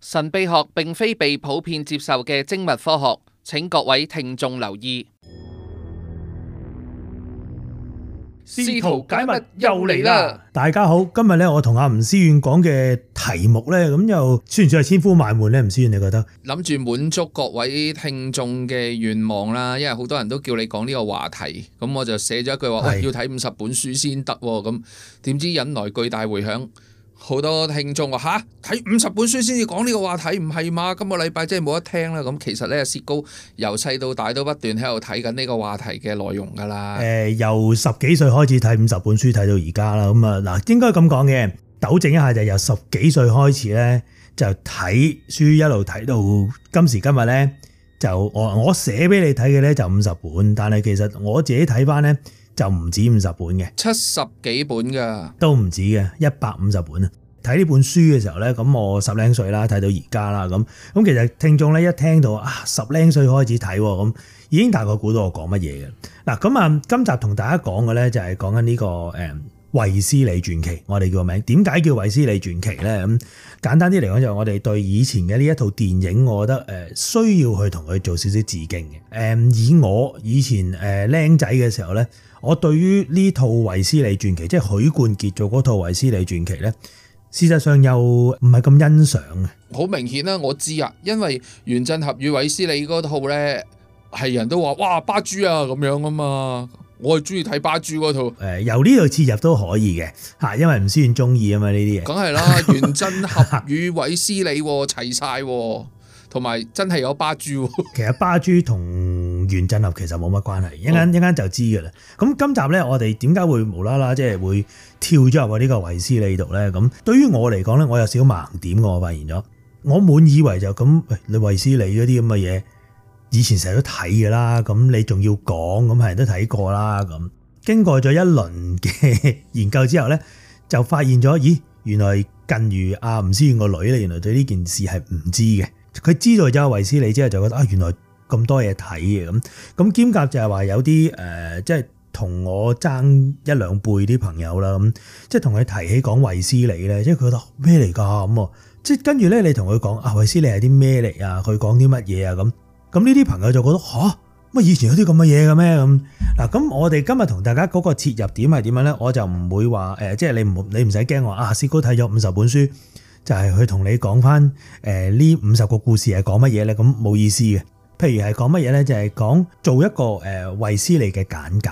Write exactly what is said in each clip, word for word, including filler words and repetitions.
神秘學並非被普遍接受嘅精密科學，請各位聽眾留意。試圖解密又嚟啦！大家好，今日咧我同阿吳思遠講嘅題目咧，咁又算唔算係千呼萬喚咧？吳思遠你覺得？諗住滿足各位聽眾嘅願望啦，因為好多人都叫你講呢個話題，咁我就寫咗一句話，喂，要睇五十本書先得，咁點知引來巨大迴響。好多聽眾話吓，睇五十本書先至講呢個話題，唔係嘛？今個禮拜真係冇得聽啦。咁其實咧，薛高由細到大都不斷喺度睇緊呢個話題嘅內容噶啦。誒、呃，由十幾歲開始睇五十本書，睇到而家啦。咁啊嗱，應該咁講嘅，糾正一下就由十幾歲開始咧，就睇書一路睇到今時今日咧，就我我寫俾你睇嘅咧就五十本，但係其實我自己睇翻咧。就唔止五十本嘅，七十幾本噶，都唔止嘅，一百五十本啊！睇呢本書嘅時候咧，咁我十零歲啦，睇到而家啦，咁咁其實聽眾咧一聽到啊十零歲開始睇，咁已經大概估到我講乜嘢嘅。嗱，咁啊，今集同大家講嘅咧就係講緊呢個誒衛斯理傳奇，我哋叫個名。點解叫衛斯理傳奇咧？咁簡單啲嚟講，就係我哋對以前嘅呢一套電影，我覺得誒需要去同佢做少少致敬嘅。誒，以我以前誒僆仔嘅時候咧。我對於呢套衛斯理傳奇，即係許冠傑做嗰套衛斯理傳奇咧，事實上又唔係咁欣賞嘅。好明顯啦，我知啊，因為原振俠與衛斯理嗰套咧，係人都話哇巴豬啊咁樣啊嘛，我係中意睇巴豬嗰套。誒，由呢度切入都可以嘅嚇，因為吳思遠中意啊嘛呢啲嘢。梗係啦，原振俠與衛斯理齊晒。同埋真係有巴豬，其實巴豬同原振俠其實冇乜關係，一陣一陣就知㗎啦。咁今集咧，我哋點解會無啦啦即係會跳咗入去呢個衛斯理度咧？咁對於我嚟講咧，我有少少盲點嘅，我發現咗。我滿以為就咁，你衛斯理嗰啲咁嘅嘢，以前成日都睇㗎啦，咁你仲要講，咁係人都睇過啦。咁經過咗一輪嘅研究之後咧，就發現咗，咦，原來近於阿吳思遠個女咧，原來對呢件事係唔知嘅。佢知道咗衛斯理之後就覺得啊，原來咁多嘢睇嘅咁咁兼夾就係話有啲誒，即係同我爭一兩輩啲朋友啦，咁即係同佢提起講衛斯理咧，即係佢覺得咩嚟㗎咁，即係跟住咧你同佢講啊衛斯理係啲咩嚟啊？佢講啲乜嘢啊？咁咁呢啲朋友就覺得吓，乜以前有啲咁嘅嘢嘅咩咁嗱？咁我哋今日同大家嗰個切入點係點樣咧？我就唔會話誒，即係你唔你唔使驚話啊，薛高睇咗五十本書。就係去同你講翻誒呢五十個故事係講乜嘢咧？咁冇意思嘅。譬如係講乜嘢咧？就係講做一個誒衛斯理嘅簡介。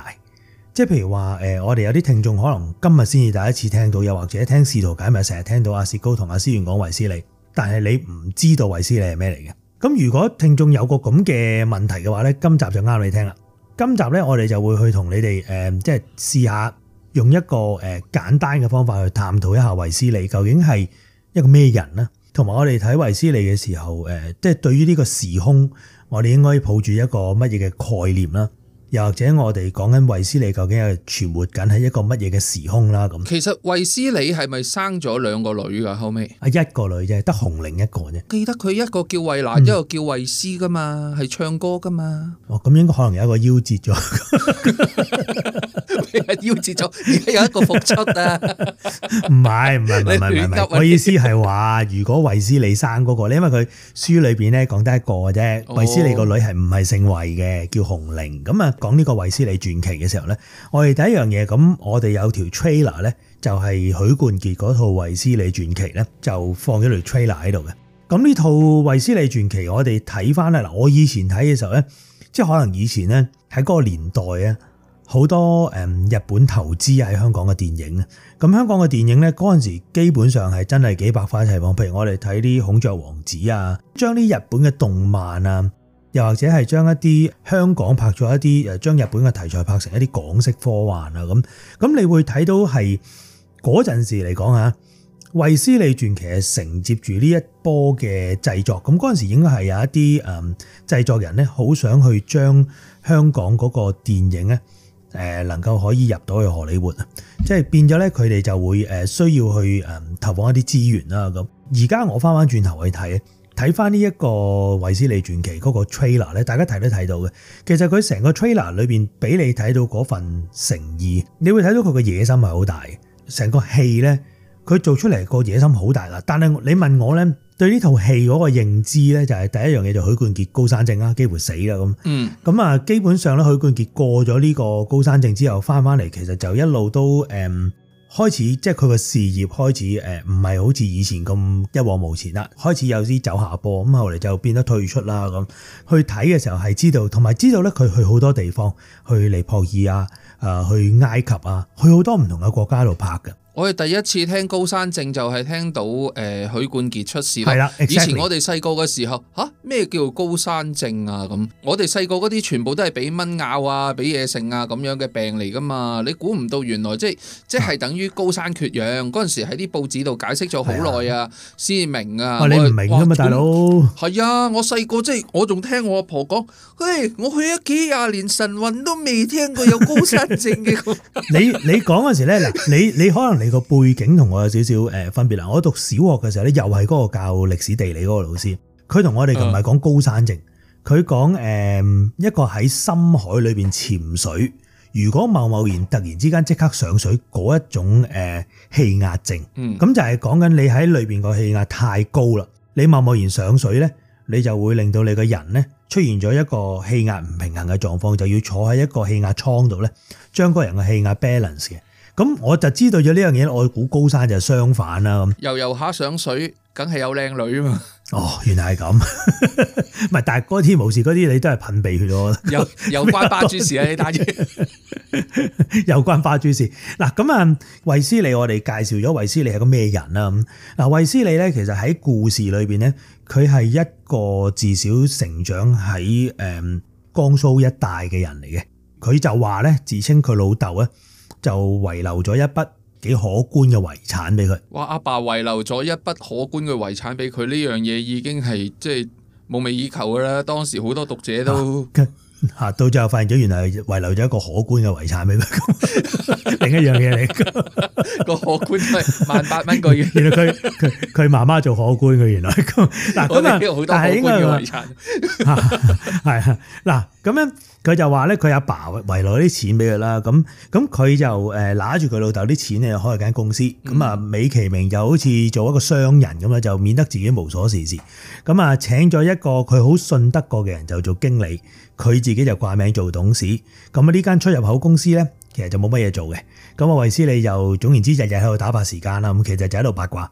即係譬如話誒，我哋有啲聽眾可能今日先至第一次聽到，又或者聽試圖解密成日聽到阿薛高同阿思遠講衛斯理，但係你唔知道衛斯理係咩嚟嘅。咁如果聽眾有個咁嘅問題嘅話咧，今集就啱你聽啦。今集咧，我哋就會去同你哋誒，即係試下用一個誒簡單嘅方法去探討一下衛斯理究竟係一個咩人呢？同埋我哋睇衛斯理嘅時候，誒，即係對於呢個時空，我哋應該抱住一個乜嘢嘅概念啦？又或者我哋講緊衛斯理究竟係存活緊喺一個乜嘢嘅時空啦？咁其實衛斯理係咪生咗兩個女噶？後尾啊，一個女啫，得紅伶一個啫。記得佢一個叫衛蘭，嗯、一個叫衛斯噶嘛，係唱歌噶嘛。哦，咁應該可能有一個夭折咗，夭折咗，而家有一個復出啊！唔係唔係唔係唔係，我意思係話，如果衛斯理生嗰、那個咧，因為佢書裏邊咧講得一個嘅啫，衛斯理個女係唔係姓衛嘅，叫紅伶咁啊。講呢個衛斯理傳奇嘅時候咧，我哋第一樣嘢咁，我哋有條 trailer 咧，就係許冠傑嗰套衛斯理傳奇咧，就放咗條 trailer 喺度嘅。咁呢套衛斯理傳奇，我哋睇翻咧嗱，我以前睇嘅時候咧，即係可能以前咧喺嗰個年代啊，好多誒日本投資喺香港嘅電影啊。咁香港嘅電影咧嗰陣時基本上係真係幾百花齊放，譬如我哋睇啲孔雀王子啊，將啲日本嘅動漫啊。又或者係將一啲香港拍咗一啲誒，將日本嘅題材拍成一啲港式科幻啊咁，咁你會睇到係嗰陣時嚟講嚇，衛斯理傳奇係承接住呢一波嘅製作，咁嗰陣時應該係有一啲誒製作人咧，好想去將香港嗰個電影咧誒能夠可以入到去荷里活啊，即係變咗咧佢哋就會誒需要去誒投放一啲資源啦咁。而家我翻翻轉頭去睇。睇翻呢一個衛斯理傳奇嗰個 trailer 咧，大家睇都睇到嘅。其實佢成個 trailer 裏邊俾你睇到嗰份誠意，你會睇到佢個野心係好大嘅。成個戲咧，佢做出嚟個野心好大啦。但係你問我咧，對呢套戲嗰個認知咧，就係第一樣嘢就許冠傑高山症啦，幾乎死啦咁。嗯，咁啊，基本上咧許冠傑過咗呢個高山症之後，翻翻嚟其實就一路都誒。嗯開始即係佢個事業開始誒唔係好似以前咁一往無前啦，開始有啲走下坡，咁後嚟就變得退出啦咁。去睇嘅時候係知道，同埋知道咧佢去好多地方，去尼泊爾啊，誒去埃及啊，去好多唔同嘅國家度拍嘅。我哋第一次聽高山症就係聽到誒、呃、許冠傑出事係啦，以前我哋細個嘅時候吓，咩叫高山症啊咁？我哋細個嗰啲全部都係俾蚊咬啊，俾嘢食啊咁樣嘅病嚟噶嘛。你估唔到原來即係即係等於高山缺氧嗰陣時喺啲報紙度解釋咗好耐啊，先明啊。哦、你唔明噶嘛，大佬？係啊，我細個即係我仲聽我阿婆講，嘿，我去咗幾廿年晨運都未聽過有高山症嘅。你你講嗰時咧，嗱，你你可能。你個背景同我有少少誒分別啦。我讀小學嘅時候咧，又係嗰個教歷史地理嗰個老師，佢同我哋唔係講高山症，佢講誒一個喺深海裏邊潛水，如果貿貿然突然之間即刻上水嗰一種誒氣壓症，咁、嗯、就係講緊你喺裏邊個氣壓太高啦，你貿貿然上水咧，你就會令到你個人咧出現咗一個氣壓唔平衡嘅狀況，就要坐喺一個氣壓艙度咧，將個人嘅氣壓 balance 嘅。咁我就知道咗呢樣嘢，我估高山就相反啦。咁游游下上水，梗係有靚女啊嘛。哦，原來係咁。唔係，但係嗰天無事嗰啲，你都係噴鼻血咯。有有關巴豬事啊！呢單嘢有關巴豬事。嗱，咁啊，衛斯理我哋介紹咗衛斯理係個咩人啦？咁嗱，衛斯理咧，其實喺故事裏邊咧，佢係一個自小成長喺誒江蘇一帶嘅人嚟嘅。佢就話咧，自稱佢老豆咧。就遺留咗一筆幾可觀嘅遺產俾佢。哇！阿爸遺留咗一筆可觀嘅遺產俾佢，呢樣嘢已經係即係夢寐以求噶啦。當時好多讀者都嚇、啊、到最後發現咗，原來係遺留咗一個可觀嘅遺產俾佢。另一樣嘢嚟，個可觀係萬八蚊個月。原來佢佢佢媽媽做可觀嘅，原來咁嗱咁啊，但係應該係遺產係啊嗱咁樣。佢就話咧，佢阿爸遺留啲錢俾佢啦，咁咁佢就誒拿住佢老豆啲錢咧，開間公司，咁啊美其名就好似做一個商人咁啦，就免得自己無所事事。咁啊請咗一個佢好信得過嘅人就做經理，佢自己就掛名做董事。咁啊呢間出入口公司咧，其實就冇乜嘢做嘅。咁啊衛斯理就總言之日日喺度打發時間啦，咁其實就喺度八卦。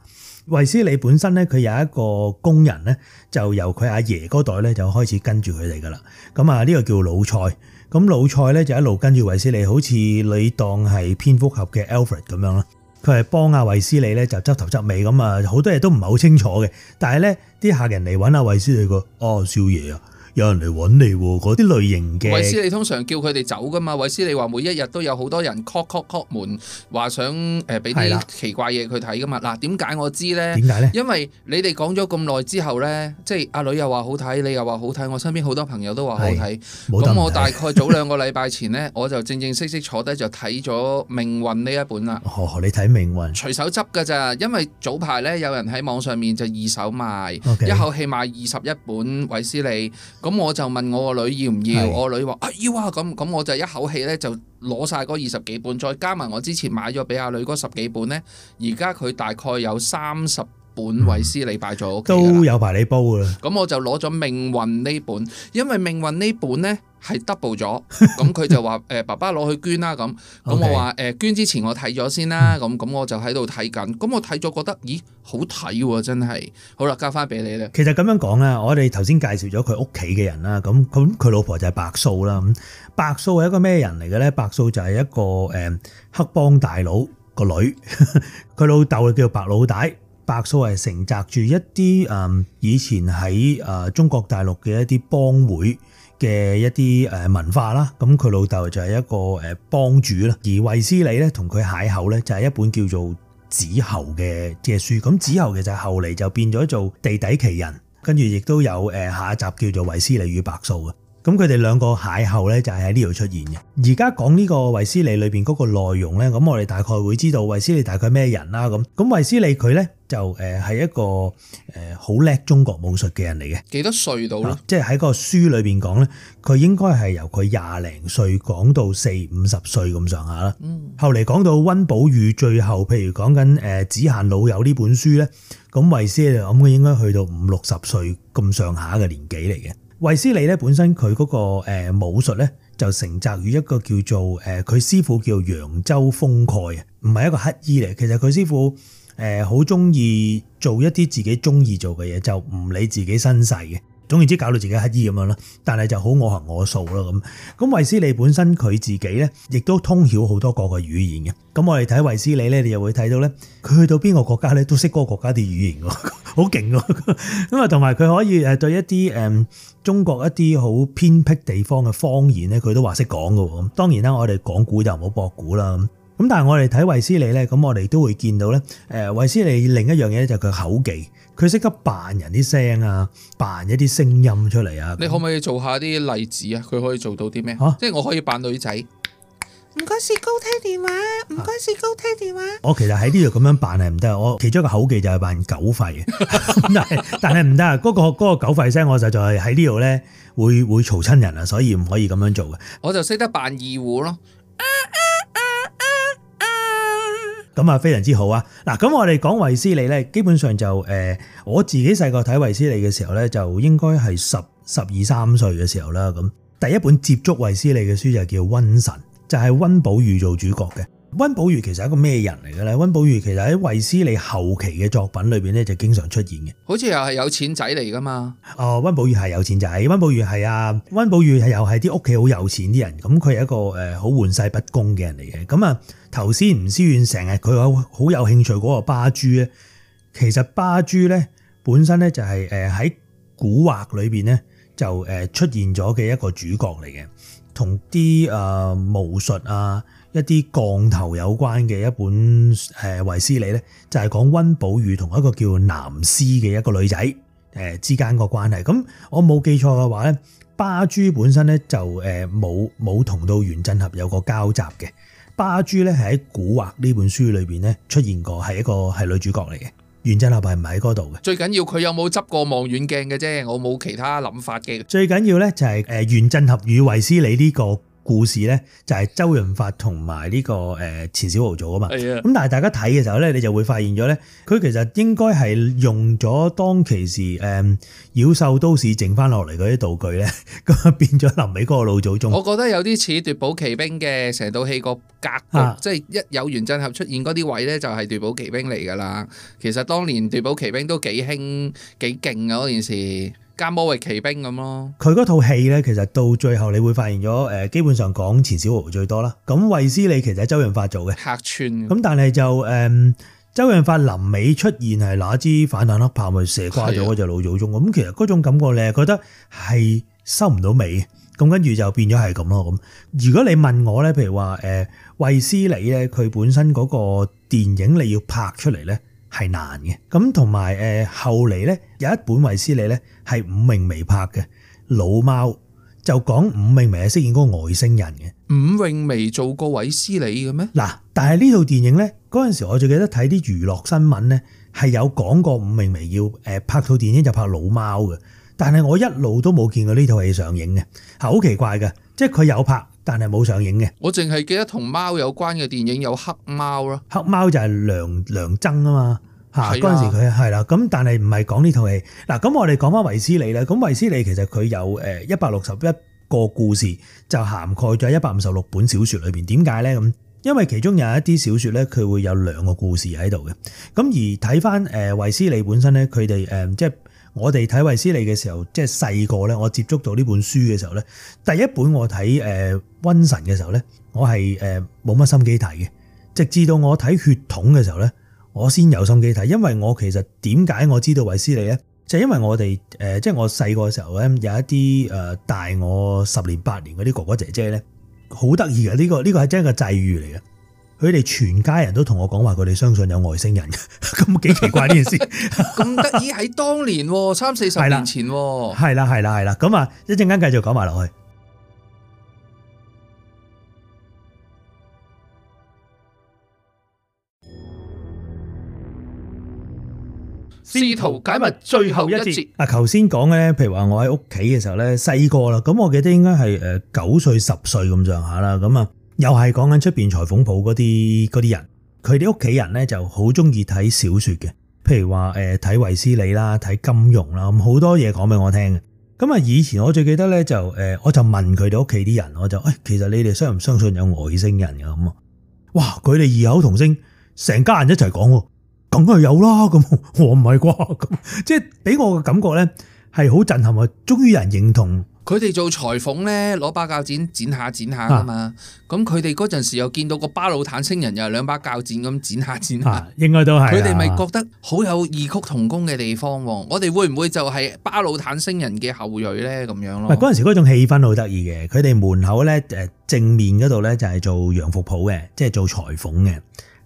衛斯理本身咧，佢有一個工人咧，就由佢阿爺嗰代咧就開始跟住佢哋噶啦。咁啊，呢個叫老蔡。咁老蔡咧就一路跟住衛斯理，好似你當係蝙蝠俠嘅 Alfred 咁樣啦。佢係幫阿衛斯理咧就執頭執尾咁啊，好多嘢都唔係好清楚嘅。但係咧啲客人嚟揾阿衛斯理個，哦，少爺啊，有人嚟揾你喎，嗰啲類型嘅。衛斯理通常叫佢哋走噶嘛，衛斯理話每一日都有好多人 call call call 門，話想誒俾啲奇怪嘢佢睇噶嘛。嗱，點解我知咧？點解咧？因為你哋講咗咁耐之後咧，即係阿女又話好睇，你又話好睇，我身邊好多朋友都話好睇。咁我大概早兩個禮拜前咧，我就正正式式坐低就睇咗《命運》呢一本啦。哦，你睇《命運》？隨手執㗎咋，因為早排咧有人喺網上面就二手賣， okay. 一口氣賣二十一本衛斯理。咁我就問我個女要唔要，我個女話啊要啊，咁咁我就一口氣咧就攞晒嗰二十幾本，再加埋我之前買咗俾阿女嗰十幾本咧，而家佢大概有三十本衛斯理擺咗屋企都有排你煲㗎啦。咁我就攞咗命運呢本，因為命運呢本咧係 double 咗，咁佢就話誒爸爸攞去捐啦咁，咁我話誒捐之前我睇咗先啦，咁咁我就喺度睇緊，咁我睇咗覺得咦好睇喎，真係，好啦交翻俾你啦。其實咁樣講啦，我哋頭先介紹咗佢屋企嘅人啦，咁咁佢老婆就係白素啦，咁白素係一個咩人嚟嘅咧？白素就係一個誒黑幫大佬個女，佢老豆叫白老大。白素係承襲住一啲誒以前喺誒中國大陸嘅一啲幫會嘅一啲誒文化啦，咁佢老豆就係一個誒幫主啦，而衛斯理咧同佢邂逅咧就係一本叫做《子侯》嘅嘅書，咁《子侯》其實後嚟就變咗做地底奇人，跟住亦都有誒下一集叫做衛斯理與白素嘅。咁佢哋兩個邂逅咧就係喺呢度出現嘅。而家講呢個衛斯理裏邊嗰個內容咧，咁我哋大概會知道衛斯理大概咩人啦。咁咁衛斯理佢咧就誒係一個誒好叻中國武術嘅人嚟嘅。幾多歲到咧？即係喺個書裏邊講咧，佢應該係由佢廿零歲講到四五十歲咁上下啦。嗯。後嚟講到溫寶玉，最後譬如講緊誒《只限老友》呢本書咧，咁衛斯理咁佢應該去到五六十歲咁上下嘅年紀嚟嘅。衛斯理咧本身佢嗰個誒武術咧就承襲於一個叫做誒佢師傅叫揚州封蓋啊，唔係一個乞衣嚟。其實佢師傅誒好中意做一啲自己中意做嘅嘢，就唔理自己身世嘅。總言之搞到自己乞衣咁樣啦，但係就好我行我素啦咁。咁衛斯理本身佢自己咧，亦都通曉好多國嘅語言嘅。咁我哋睇衛斯理咧，你又會睇到咧，佢去到邊個國家咧，都識嗰個國家啲語言喎，好勁喎。咁啊，同埋佢可以誒對一啲誒中國一啲好偏僻地方嘅方言咧，佢都話識講㗎喎。咁當然啦，我哋講古就唔好博古啦。咁但係我哋睇衛斯理咧，咁我哋都會見到咧，誒衛斯理另一樣嘢咧就係佢口技。佢識得扮人啲聲啊，扮一啲聲音出嚟啊！你可唔可以做下啲例子啊？佢可以做到啲咩？啊、即係我可以扮女仔。唔該，薛高聽電話。唔該，薛高聽電話。我其實喺呢度咁樣扮係唔得，我其中一個口技就係扮狗吠。但係但係唔得啊！嗰、嗰個嗰、嗰個狗吠聲，我實在係喺呢度咧會會嘈親人啊，所以唔可以咁樣做嘅。我就識得扮二胡咯。咁啊，非常之好啊！嗱，咁我哋講衛斯理咧，基本上就誒，我自己細個睇衛斯理嘅時候咧，就應該係十十二三歲嘅時候啦。咁第一本接觸衛斯理嘅書就叫《瘟神》，就係溫寶玉做主角嘅。溫寶玉其實係一個咩人嚟嘅咧？溫寶玉其實喺衛斯理後期嘅作品裏邊咧，就經常出現嘅。好似又係有錢仔嚟噶嘛？哦，溫寶玉係有錢仔，溫寶玉係啊，溫寶玉係又係啲屋企好有錢啲人，咁佢係一個誒好玩世不恭嘅人嚟嘅。咁啊，頭先吳思遠成日佢有好有興趣嗰個巴珠咧，其實巴珠咧本身咧就係誒喺古惑裏邊咧就誒出現咗嘅一個主角嚟嘅，同啲誒巫術啊，一啲降頭有關嘅一本誒衛斯理咧，就係講溫寶玉同一個叫南施嘅一個女仔誒之間個關係。咁我冇記錯嘅話咧，巴珠本身咧就誒冇冇同到袁振合有個交集嘅。巴珠咧係喺古惑呢本書裏邊咧出現過，係一個係女主角嚟嘅。袁振合係唔喺嗰度嘅。最緊要佢有冇執過望遠鏡嘅啫，我冇其他諗法嘅。最緊要咧就係誒袁振合與衛斯理呢個故事咧，就係周潤發同埋呢個誒錢小豪做啊嘛。係啊。咁但係大家睇嘅時候咧，你就會發現咗咧，佢其實應該係用咗當其時誒妖獸都市剩翻落嚟嗰啲道具咧，咁啊變咗臨尾嗰個老祖宗。我覺得有啲似奪寶奇兵嘅成套戲個格局，啊、即係一有袁振合出現嗰啲位咧，就係奪寶奇兵嚟㗎啦。其實當年奪寶奇兵都幾興幾勁啊嗰件事。加魔域奇兵咁咯，佢嗰套戲咧，其實到最後你會發現咗，誒，基本上講錢小豪最多啦。咁衛斯理其實係周潤發做嘅客串，咁但係就誒、嗯，周潤發臨尾出現係拿支反彈黑炮咪射瓜咗嗰隻老祖宗。咁其實嗰種感覺你係覺得係收唔到尾，咁跟住就變咗係咁咯。咁如果你問我咧，譬如話誒衛斯理咧，佢本身嗰個電影你要拍出嚟咧，係難嘅，咁同埋誒後嚟咧有一本衛斯理咧係伍詠薇拍嘅《老貓》，就講伍詠薇係飾演嗰個外星人嘅。伍詠薇做過衛斯理嘅咩？嗱，但係呢套電影咧嗰陣時，我最記得睇啲娛樂新聞咧係有講過伍詠薇要誒拍套電影就拍《老貓》嘅，但係我一路都冇見過呢套戲上映嘅，係好奇怪嘅，即係佢有拍，但係冇上映嘅。我淨係記得同貓有關嘅電影有黑貓咯，黑貓就係梁梁增啊嘛。嚇！嗰陣時佢係啦，咁但係唔係講呢套戲嗱。咁我哋講翻衛斯理咧，咁衛斯理其實佢有誒一百六十一個故事，就涵蓋咗一百五十六本小説裏邊。點解咧？咁因為其中有一啲小説咧，佢會有兩個故事喺度嘅。咁而睇翻誒衛斯理本身咧，佢哋誒即係我哋睇衛斯理嘅時候，即係細個咧，我接觸到呢本書嘅時候咧，第一本我睇誒瘟神嘅時候咧，我係誒冇乜心機睇嘅，直至到我睇血統嘅時候咧，我先有心機睇，因為我其實點解我知道衛斯理咧，就係因為我哋誒，即係我細個嘅時候咧，有一啲誒大我十年八年嗰啲哥哥姐姐咧，好得意嘅，呢個呢個係真係個際遇嚟嘅。佢哋全家人都同我講話，佢哋相信有外星人，咁幾奇怪呢件事。咁得意喺當年三四十年前，係啦係啦係啦，咁啊一陣間繼續講埋落去。試圖解密最後一節。啊，頭先講咧，譬如話我喺屋企嘅時候咧，細個啦，咁我記得應該係誒九歲十歲咁上下啦，咁啊又係講緊出邊裁縫鋪嗰啲嗰啲人，佢哋屋企人咧就好中意睇小說嘅，譬如話誒睇衛斯理啦，睇金庸啦，咁好多嘢講俾我聽嘅。咁啊以前我最記得咧就誒，我就問佢哋屋企啲人，我就誒、哎、其實你哋相唔相信有外星人㗎咁啊？哇！佢哋異口同聲，成家人一齊講喎。梗係有啦，咁我唔係啩？咁即係俾我嘅感覺咧，係好震撼啊！終於有人認同佢哋做裁縫咧，攞把鉸剪剪下剪下噶嘛。咁佢哋嗰陣時又見到個巴魯坦星人又係兩把鉸剪咁剪下剪下，啊、應該都係。佢哋咪覺得好有異曲同工嘅地方。我哋會唔會就係巴魯坦星人嘅後裔咧？咁樣咯。唔係嗰陣時嗰種氣氛好得意嘅，佢哋門口咧誒正面嗰度咧就係做洋服鋪嘅，即係做裁縫嘅。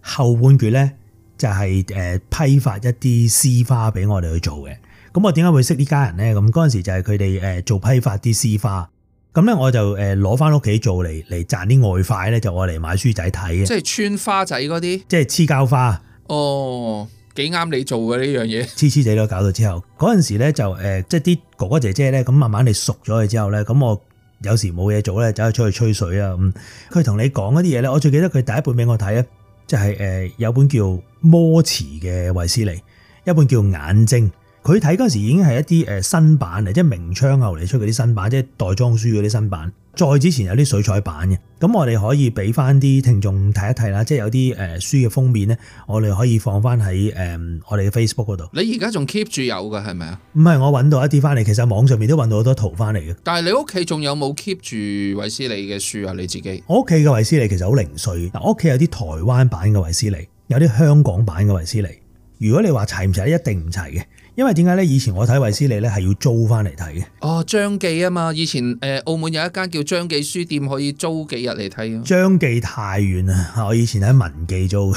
後半橛咧，就係誒批發一啲絲花俾我哋去做嘅，咁我點解會識呢家人咧？咁嗰陣時就係佢哋誒做批發啲絲花，咁咧我就誒攞翻屋企做嚟嚟賺啲外快咧，就我嚟買書仔睇嘅。即係穿花仔嗰啲，即係黐膠花。哦，幾啱你做嘅呢樣嘢。黐黐地都搞到之後，嗰陣時咧就誒即係啲哥哥姐姐咧，咁慢慢你熟咗佢之後咧，咁我有時冇嘢做咧，走去出去吹水啊咁。佢同你講嗰啲嘢咧，我最記得佢第一本俾我睇咧。就係誒有本叫魔詞嘅衛斯理，一本叫眼睛。佢睇嗰時已經係一啲誒新版嚟，即係明窗後嚟出嗰啲新版，即係袋裝書嗰啲新版。再之前有啲水彩版嘅，咁我哋可以俾翻啲聽眾睇一睇啦。即係有啲誒書嘅封面咧，我哋可以放翻喺誒我哋嘅 Facebook 嗰度。你而家仲 keep 住有㗎係咪啊？唔係，我揾到一啲翻嚟，其實網上面都揾到好多圖翻嚟嘅。但係你屋企仲有冇 keep 住衛斯理嘅書啊？你自己？我屋企嘅衛斯理其實好零碎。嗱，我屋企有啲台灣版嘅衛斯理，有啲香港版嘅衛斯理。如果你話齊唔齊，一定唔齊嘅。因為點解咧？以前我睇衛斯理咧係要租翻嚟睇嘅。哦，張記啊嘛，以前誒澳門有一間叫張記書店，可以租幾日嚟睇。張記太遠啦，我以前喺文記租。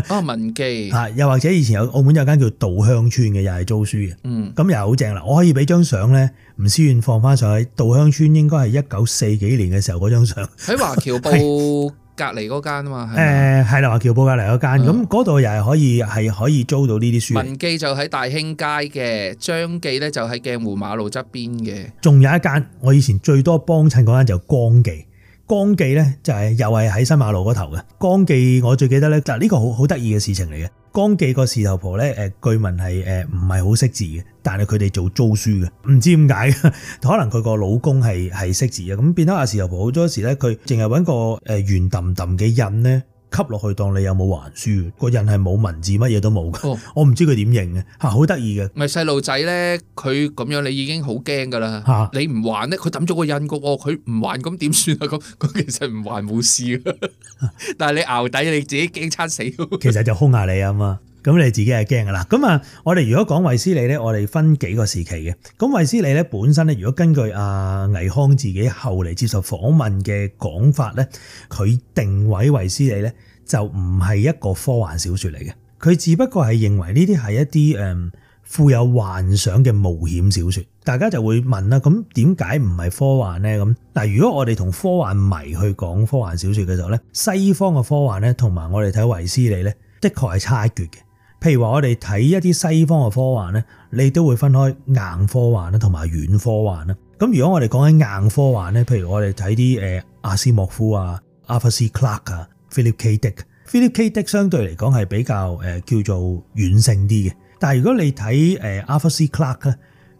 哦，文記。啊，又或者以前有澳門有間叫稻香村嘅，又係租書嘅。嗯，咁又好正啦。我可以俾張相咧，吳思遠放翻上去。稻香村應該係一九四幾年嘅時候嗰張相。喺華僑報隔離嗰間啊嘛，誒係啦，華僑報隔離嗰間，咁嗰度又係可以係可以租到呢啲書。文記就喺大興街嘅，張記咧就喺鏡湖馬路側邊嘅。仲有一間，我以前最多幫襯嗰間就光記，光記咧就係又係喺新馬路嗰頭嘅。光記我最記得咧，嗱呢個好好得意嘅事情嚟嘅。光記個事頭婆咧，誒據聞係誒唔係好識字嘅，但係佢哋做租書嘅，唔知點解，可能佢個老公係係識字嘅，咁變咗阿事頭婆好多時咧，佢淨係揾個誒圓揼揼嘅印咧，吸落去當你有冇還書，個印係冇文字，乜嘢都冇嘅。哦、我唔知佢點認嘅嚇，好得意嘅。咪細路仔咧，佢咁樣你已經好驚噶啦嚇，你唔還咧，佢抌咗個印個喎，佢唔還咁點算啊？咁咁其實唔還冇事嘅，但係你淆底你自己驚餐死。其實就兇下你啊嘛。咁你自己係驚噶啦。咁啊，我哋如果講衛斯理咧，我哋分幾個時期嘅。咁衛斯理咧本身咧，如果根據阿倪匡自己後嚟接受訪問嘅講法咧，佢定位衛斯理咧就唔係一個科幻小說嚟嘅，佢只不過係認為呢啲係一啲誒富有幻想嘅冒險小說。大家就會問啦，咁點解唔係科幻咧？咁嗱，如果我哋同科幻迷去講科幻小說嘅時候咧，西方嘅科幻咧同埋我哋睇衛斯理咧，的確係差一橛嘅。譬如話我哋睇一啲西方嘅科幻咧，你都會分開硬科幻啦同埋軟科幻啦。咁如果我哋講緊硬科幻咧，譬如我哋睇啲誒阿斯莫夫啊、Arthur C. Clarke 啊、Philip K. Dick。Philip K. Dick 相對嚟講係比較誒叫做軟性啲嘅。但係如果你睇誒 Arthur C. Clarke 咧，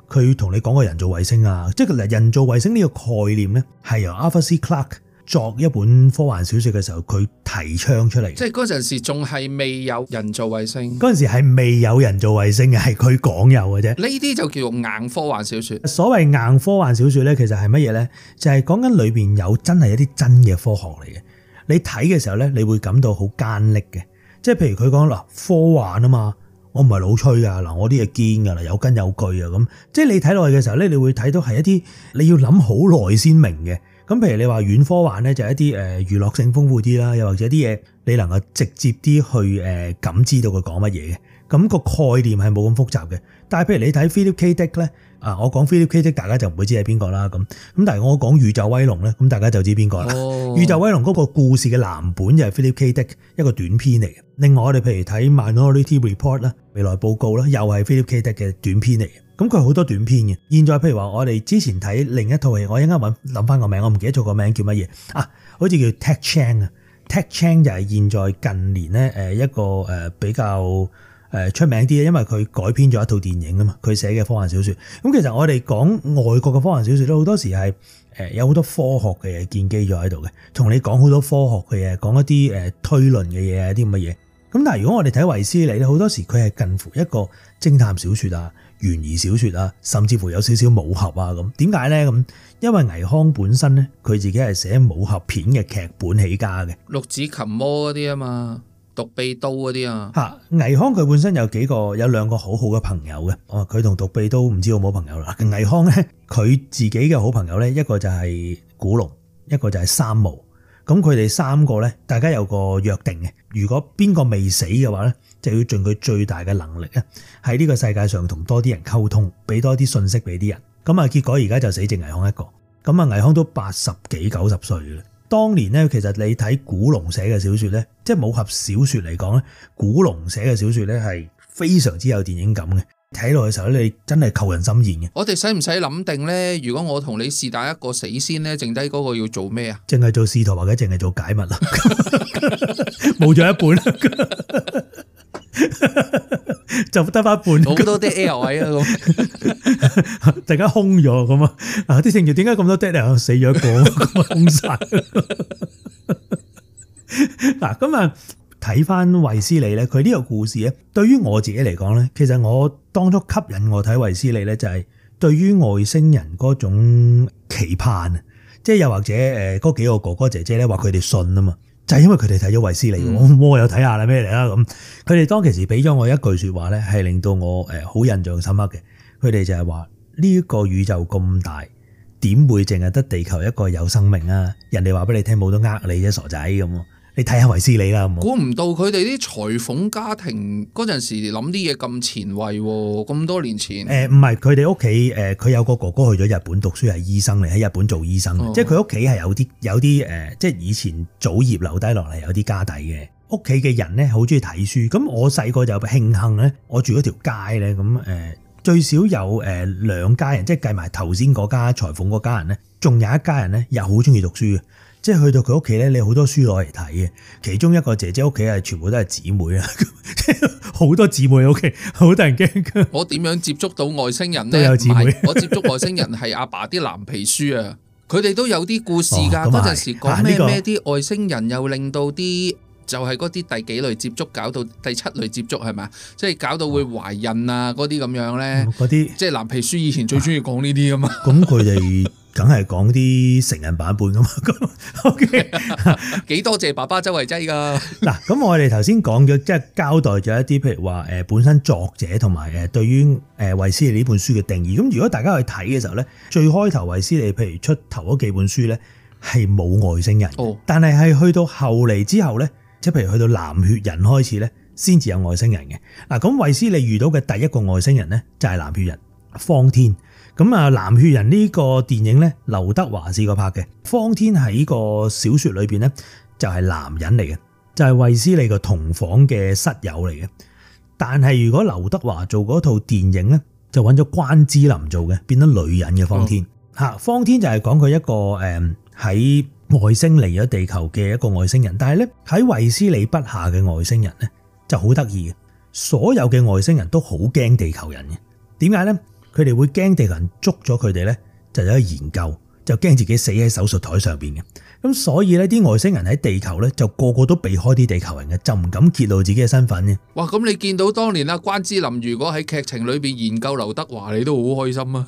佢同你講個人造衛星啊，即係人造衛星呢個概念咧，係由 Arthur C. Clarke作一本科幻小說嘅時候，佢提倡出嚟。即係嗰陣時仲係未有人造衛星，嗰陣時係未有人造衛星嘅，係佢講有嘅啫。呢啲就叫做硬科幻小說。所謂硬科幻小說咧，其實係乜嘢咧？就係講緊裏邊有真係一啲真嘅科學嚟嘅。你睇嘅時候咧，你會感到好艱澀嘅。即係譬如佢講嗱，科幻啊嘛，我唔係老吹㗎嗱，我啲嘢堅㗎啦，有根有據啊咁。即係你睇落去嘅時候咧，你會睇到係一啲你要諗好耐先明嘅。咁譬如你話軟科幻咧，就係一啲誒娛樂性豐富啲啦，又或者啲嘢你能夠直接啲去誒感知到佢講乜嘢嘅。咁個概念係冇咁複雜嘅。但係譬如你睇 Philip K. Dick 咧，啊我講 Philip K. Dick 大家就唔會知係邊個啦咁。咁但係我講宇宙威龍咧，咁大家就知邊個啦。哦、宇宙威龍嗰個故事嘅藍本就係 Philip K. Dick 一個短篇嚟嘅。另外我哋譬如睇 Minority Report 啦，未來報告啦，又係 Philip K. Dick 嘅短篇嚟嘅。咁佢好多短篇嘅。現在譬如話我哋之前睇另一套戲，我一陣間揾諗翻個名，我唔記得咗個名叫乜嘢啊？好似叫 Ted Chiang 啊 ，Ted Chiang 就係現在近年咧誒一個誒比較誒出名啲嘅，因為佢改編咗一套電影啊嘛，佢寫嘅科幻小說。咁其實我哋講外國嘅科幻小說咧，好多時係誒有好多科學嘅嘢建基咗喺度嘅，同你講好多科學嘅嘢，講一啲誒推論嘅嘢啊，啲咁嘅嘢。咁但係如果我哋睇衛斯理咧，好多時佢係近乎一個偵探小說啊、懸疑小說啊，甚至乎有少少武俠啊咁。點解咧咁？因為倪匡本身咧，佢自己係寫武俠片嘅劇本起家嘅，六指琴魔嗰啲啊嘛，獨臂刀嗰啲啊。嚇，倪匡佢本身有幾個有兩個好好嘅朋友嘅。哦，佢同獨臂刀唔知好冇朋友啦。倪匡咧，佢自己嘅好朋友咧，一個就係古龍，一個就係三毛。咁佢哋三個咧，大家有個約定嘅。如果邊個未死嘅話咧，就要盡佢最大嘅能力咧，喺呢個世界上同多啲人溝通，俾多啲信息俾啲人。咁啊，結果而家就死剩倪匡一個。咁啊，倪匡都八十幾九十歲嘅。當年咧，其實你睇古龍寫嘅小說咧，即係武俠小說嚟講咧，古龍寫嘅小說咧係非常之有電影感嘅。睇落嘅時候咧，你真係扣人心弦嘅。我哋使唔使諗定咧？如果我同你是但一個死先咧，剩低嗰個要做咩啊？淨係做使徒或者淨係做解密啦，冇咗一半，就得翻一半。好多啲 air 位啊，咁突然間空咗咁啊！啊，啲聖徒點解咁多 dead 啊？死咗一個，咁啊空晒。嗱，咁啊。睇翻衛斯理咧，佢呢個故事咧，對於我自己嚟講咧，其實我當初吸引我睇衛斯理咧，就係對於外星人嗰種期盼啊，即係又或者誒嗰幾個哥哥姐姐咧話佢哋信啊嘛，就係因為佢哋睇咗衛斯理，嗯、我我有睇下啦咩嚟啦咁，佢哋當其時俾咗我一句說話咧，係令到我誒好印象深刻嘅，佢哋就係話呢一個宇宙咁大，點會淨係得地球一個有生命啊？人哋話俾你聽冇得呃你啫，傻仔咁。你睇下衛斯理啦，估唔到佢哋啲裁縫家庭嗰陣時諗啲嘢咁前衛喎，咁多年前。誒唔係佢哋屋企誒，佢有個哥哥去咗日本讀書係醫生嚟，喺日本做醫生，哦、即係佢屋企係有啲有啲誒，即係以前祖業留低落嚟有啲家底嘅。屋企嘅人咧好中意睇書，咁我細個就慶幸咧，我住嗰條街咧，咁誒最少有誒兩家人，即係計埋頭先嗰家裁縫嗰家人咧，仲有一家人咧又好中意讀書嘅。即係去到佢屋企咧，你好多書攞嚟睇嘅。其中一個姐姐屋企係全部都係姊妹啊，好多姊妹屋企，好得人驚。我點樣接觸到外星人咧？都有姊妹。我接觸外星人係阿爸啲藍皮書啊，佢哋都有啲故事㗎。嗰陣、哦、時講咩咩啲外星人又令到啲就係嗰啲第幾類接觸搞到第七類接觸係咪？即係搞到會懷孕啊嗰啲咁樣咧。嗰啲即係藍皮書以前最中意講呢啲㗎嘛。咁佢哋。梗係講啲成人版本噶嘛，OK？幾多謝爸爸周圍擠噶。嗱，咁我哋頭先講咗，即係交代咗一啲，譬如話誒本身作者同埋誒對於誒衛斯理呢本書嘅定義。咁如果大家去睇嘅時候咧，最開頭衛斯理譬如出頭嗰幾本書咧係冇外星人，哦、但係係去到後嚟之後咧，即係譬如去到藍血人開始咧，先至有外星人嘅。嗱，咁衛斯理遇到嘅第一個外星人咧就係藍血人方天。咁啊，藍血人呢個電影咧，劉德華試過拍嘅。方天喺呢個小說裏邊咧，就係男人嚟嘅，就係衛斯理個同房嘅室友嚟嘅。但係如果劉德華做嗰套電影咧，就揾咗關之琳做嘅，變咗女人嘅方天。吓、嗯，方天就係講佢一個誒喺外星嚟咗地球嘅一個外星人。但係咧喺衛斯理筆下嘅外星人咧就好得意嘅，所有嘅外星人都好驚地球人嘅。點解咧？佢哋會驚地球人捉咗佢哋咧，就有去研究，就驚自己死喺手術台上邊嘅。咁所以咧，啲外星人喺地球咧，就個個都避開啲地球人嘅，就唔敢揭露自己嘅身份嘅。哇！咁你見到當年啊關之琳如果喺劇情裏邊研究劉德華，你都好開心啊！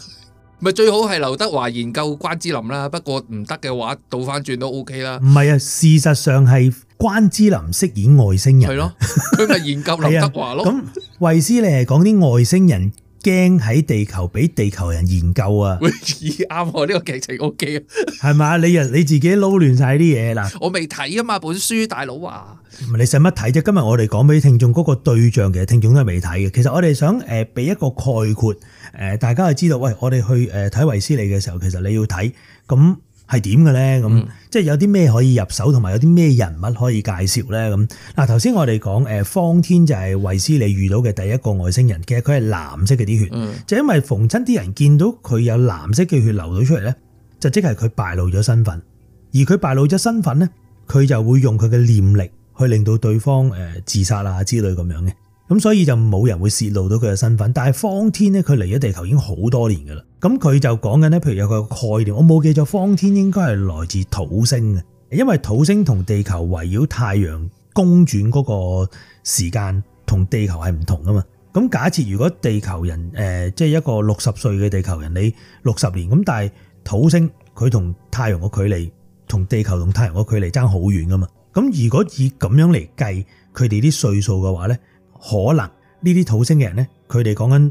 咪最好係劉德華研究關之琳啦，不過唔得嘅話，倒翻轉都 O K 啦。唔係啊，事實上係關之琳飾演外星人。係咯，佢咪研究劉德華咯。咁衛斯理係講啲外星人驚喺地球俾地球人研究啊。喂，啱喎，呢個劇情 O K 啊。係嘛？你啊你自己撈亂晒啲嘢嗱。我未睇啊嘛本書，大佬啊。你使乜睇啫？今日我哋講俾聽眾嗰個對象，其實聽眾都係未睇嘅。其實我哋想誒俾一個概括，誒大家就知道，喂，我哋去誒睇衛斯理嘅時候，其實你要睇咁係點嘅咧？咁、嗯、即係有啲咩可以入手，同埋有啲咩人物可以介紹咧？咁嗱，頭先我哋講誒方天就係衛斯理遇到嘅第一個外星人，其實佢係藍色嘅啲血，嗯、就因為逢親啲人見到佢有藍色嘅血流到出嚟咧，就即係佢敗露咗身份，而佢敗露咗身份咧，佢就會用佢嘅念力去令到對方誒自殺啊之類咁樣嘅，咁所以就冇人會泄露到佢嘅身份。但係方天咧，佢嚟咗地球已經好多年噶啦，咁佢就講緊咧，譬如有個概念，我冇記錯，方天應該係來自土星嘅，因為土星同地球圍繞太陽公轉嗰個時間同地球係唔同噶嘛。咁假設如果地球人誒即係一個六十歲嘅地球人，你六十年咁，但係土星佢同太陽個距離同地球同太陽個距離爭好遠噶嘛。咁如果以咁樣嚟計佢哋啲歲數嘅話咧，可能呢啲土星嘅人咧，佢哋講緊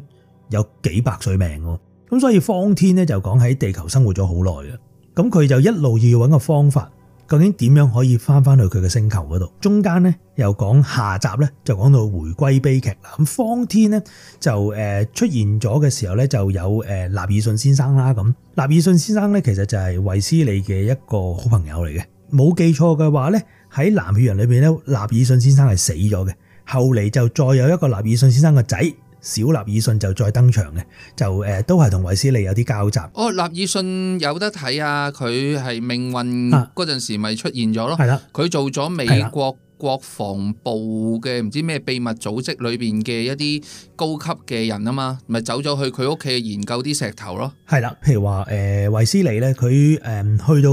有幾百歲命喎。咁所以方天咧就講喺地球生活咗好耐嘅，咁佢就一路要揾個方法，究竟點樣可以翻翻去佢嘅星球嗰度？中間咧又講下集咧就講到回歸悲劇啦。咁方天咧就誒出現咗嘅時候咧，就有誒納爾遜先生啦。咁納爾遜先生咧其實就係衛斯理嘅一個好朋友嚟嘅，冇記錯嘅話咧。喺藍血人裏邊咧，納爾遜先生係死咗嘅，後嚟就再有一個納爾遜先生嘅仔小納爾遜就再登場嘅，就誒都係同衛斯理有啲交集。哦，納爾遜有得睇啊！佢係命運嗰陣時咪出現咗咯，係啦，佢做咗美國國防部嘅唔知咩秘密組織裏邊嘅一啲高級嘅人啊嘛，咪走咗去佢屋企研究啲石頭咯。係啦，譬如話誒衛斯理咧，佢誒去到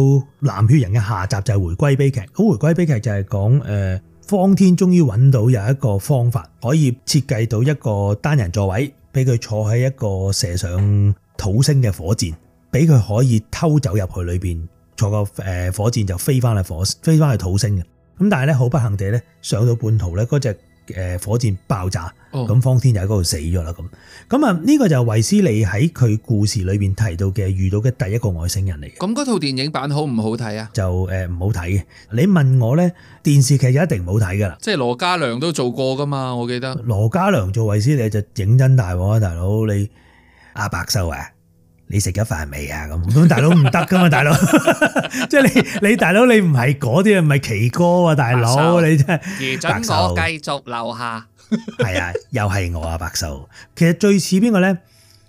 藍血人嘅下集就係回歸悲劇。咁回歸悲劇就係講誒方天終於揾到有一個方法可以設計到一個單人座位，俾佢坐喺一個射上土星嘅火箭，俾佢可以偷走入去裏邊，坐個誒火箭就飛翻去火飛翻去土星嘅。咁但係咧好不幸地咧，上到半途咧嗰隻誒火箭爆炸，咁、哦、方天就喺嗰度死咗啦。咁咁啊呢個就係衛斯理喺佢故事裏邊提到嘅遇到嘅第一個外星人嚟嘅。咁嗰套電影版好唔好睇啊？就誒唔好睇嘅。你問我咧，電視劇就一定唔好睇噶啦。即係羅嘉良都做過噶嘛，我記得。羅嘉良做衛斯理就認真大鑊啊，大佬你阿白秀啊！你食咗飯未啊？咁咁大佬唔得噶嘛，大佬，即係你你大佬你唔係嗰啲啊，唔係奇哥啊，大佬你真係。而准我繼續留下。係啊，又係我啊，白秀。其實最似邊個咧？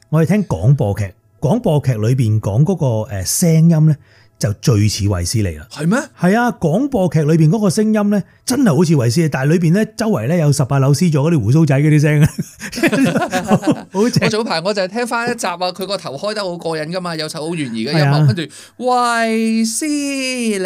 我哋聽廣播劇，廣播劇裏邊講嗰個誒聲音咧，就最似衛斯理啦。係咩？係啊，廣播劇裏邊嗰個聲音咧，真係好似衛斯理，但係裏邊咧周圍咧有十八樓 C 座嗰啲鬍鬚仔嗰啲聲啊。我早排我就係聽翻一集啊，佢個頭開得好過癮噶嘛，有首好懸疑嘅音樂，跟住衛斯理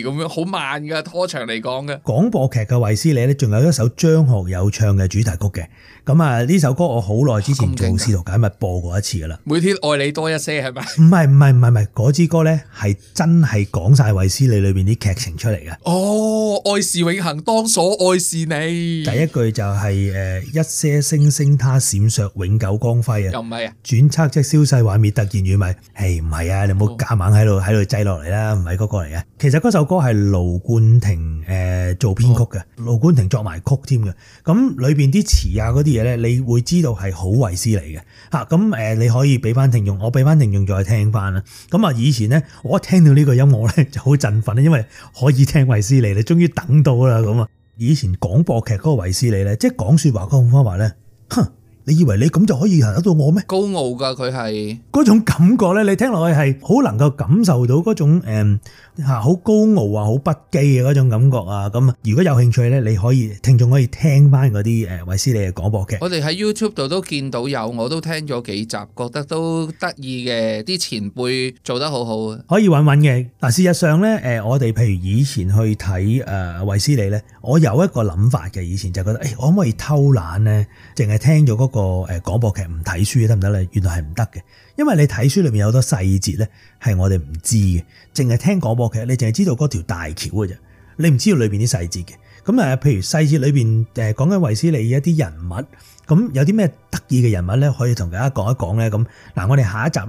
咁樣好慢噶，拖長嚟講嘅。廣播劇嘅衛斯理咧，仲有一首張學友唱嘅主題曲嘅。咁啊，呢首歌我好耐之前做試圖解密播過一次噶啦。每天愛你多一些係咪？唔係唔係唔係唔係，嗰支歌咧係真係講晒衛斯理裏邊啲劇情出嚟嘅。哦，愛是永恆，當所愛是你。第一句就係誒一些星星它閃爍永久光輝啊。又唔係啊？轉測即消逝幻滅突然遠迷。係唔係啊？你唔好夾硬喺度喺度擠落嚟啦，唔係嗰個嚟嘅。其實嗰首歌係盧冠廷誒做編曲嘅，盧冠廷作埋曲添嘅。咁裏邊啲詞啊嗰啲嘢咧，你會知道係好衛斯理嘅嚇。咁誒，你可以俾翻聽眾，我俾翻聽眾再聽翻啦。咁啊，以前咧我一聽到呢個音樂咧就好振奮，因為可以聽衛斯理，你終於等到啦咁啊！以前廣播劇嗰個衛斯理咧，即係講説話嗰種方法咧，哼！你以為你咁就可以行得到我咩？高傲㗎，佢係嗰種感覺咧，你聽落去係好能夠感受到嗰種誒嚇好高傲啊、好不羈嘅嗰種感覺啊。咁啊，如果有興趣咧，你可以聽眾可以聽翻嗰啲誒衛斯理嘅廣播劇。我哋喺 YouTube 度都見到有，我都聽咗幾集，覺得都得意嘅，啲前輩做得好好啊。可以揾揾嘅嗱，事實上咧誒，我哋譬如以前去睇誒衛斯理咧，我有一個諗法嘅，以前就覺得誒，我可唔可以偷懶咧，淨係聽咗嗰個誒廣播劇唔睇書得唔得咧？原來係唔得嘅，因為你睇書裏面有好多細節咧係我哋唔知嘅，淨係聽廣播劇，你淨係知道嗰條大橋嘅啫，你唔知道裏邊啲細節嘅。咁誒，譬如細節裏邊誒講緊衛斯理一啲人物，咁有啲咩得意嘅人物咧，可以同大家講一講咧。咁嗱，我哋下一集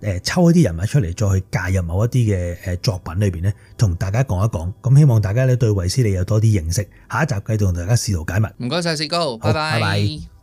咧誒抽一啲人物出嚟，再去介入某一啲嘅誒作品裏邊咧，同大家講一講。咁希望大家咧對衛斯理有多啲認識。下一集繼續同大家試圖解密。唔該晒，士高，拜拜。拜拜。